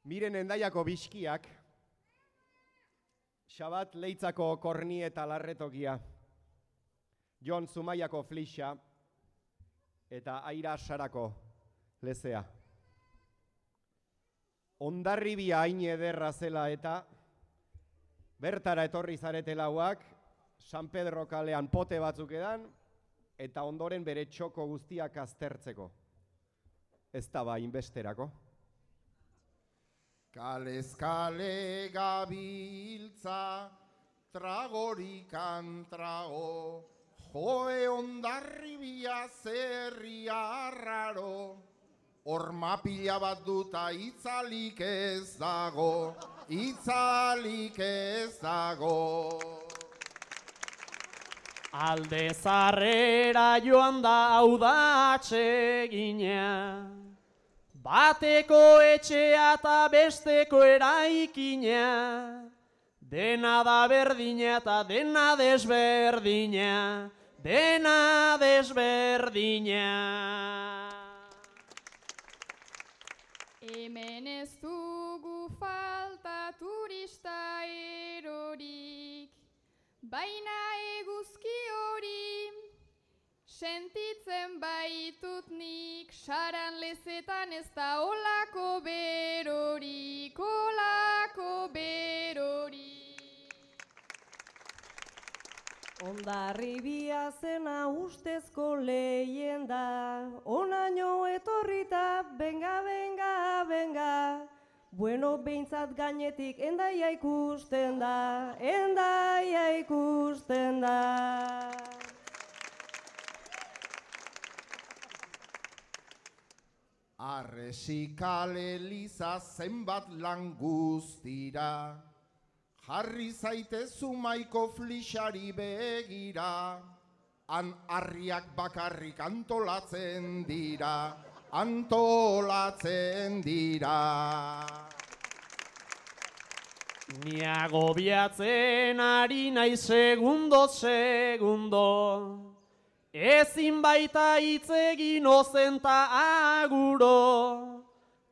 Miren Endaiako biskiak, Xabat Leitzako korni eta larretokia, Jon Zumaiako flixa eta Aira Sarako lezea. Hondarribia hain ederra zela eta bertara etorri zaretelauak, San Pedro kalean pote batzuk edan, eta ondoren bere txoko guztiak aztertzeko. Ez da ba inbesterako. Kalez kale gabiltza, tragorikan trago, joe Hondarribia zerria arraro, horma pila bat duta itzalik ez dago, itzalik ez dago. Alde zarrera joan da hau da atsegina, bateko etxea eta besteko eraikina, dena da berdina eta dena desberdina, dena desberdina. Hemen ez dugu falta turista erorik, baina eguzki hori sentitzen baitut nik, saran lezetan ez da olako berorik, olako berorik. Hondarribia zena ustezko leyenda, onaino etorrita, benga, benga, benga. Bueno, behintzat gainetik Endaia ikusten da, Endaia ikusten da. Arresikale liza zenbat lan guztira, jarri zaitezu maiko flixari begira, han harriak bakarrik antolatzen dira, antolatzen dira. Ni agobiatzen ari naiz segundo, ezin baita hitz egin ozenta aguro,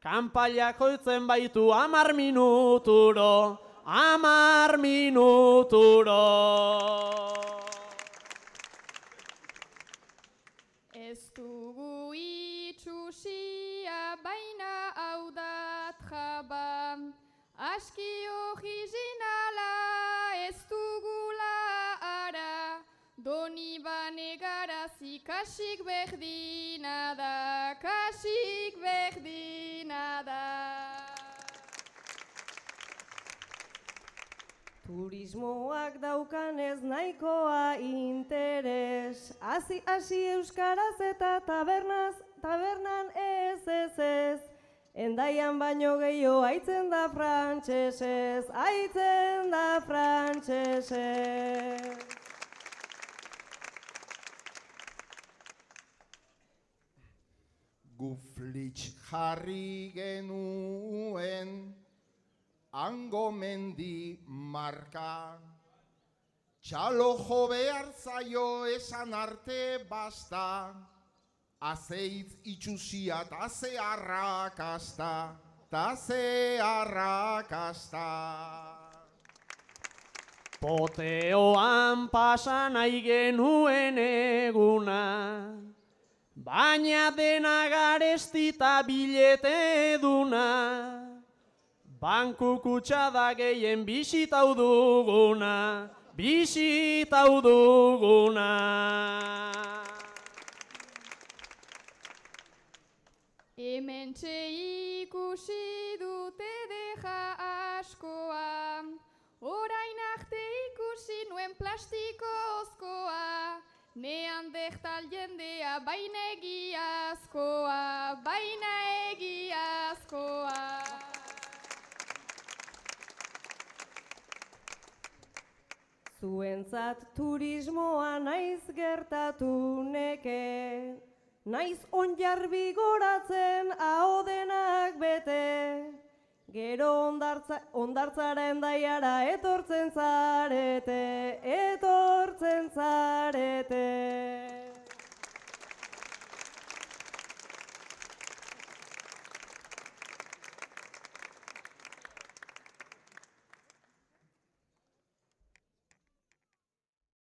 kanpailak joitzen baitu 10 minuturo, 10 minuturo. Ez dugu itxusia baina hau dat jaba, aski originala ez dugula ara, doni bane garazi kasik berdina da, kasik berdina da. Turismoak daukanez nahikoa interes, hasi euskaraz eta tabernan ez. Endaian baino gehiago aitzen da frantsesez, aitzen da frantsesez. Gu flitx jarri genuen, hango mendi marka, txalo jo behar zaio esan arte basta, azeitz itxusia ta ze arrakasta, ta ze arrakasta. Poteoan pasa nahi genuen eguna, baina dena garestita bilete duna, banku kutxada gehien bisitau duguna, bisitau duguna. Hementxe ikusi dute deja askoa, orain arte ikusi nuen plastikozkoa, neandertal jendea baina egiazkoa, baina egiazkoa. Zuentzat turismoa naiz gertatu neke, naiz onjarbi goratzen ahodenak bete, gero ondartzara Endaiara etortzen zarete, etortzen zarete.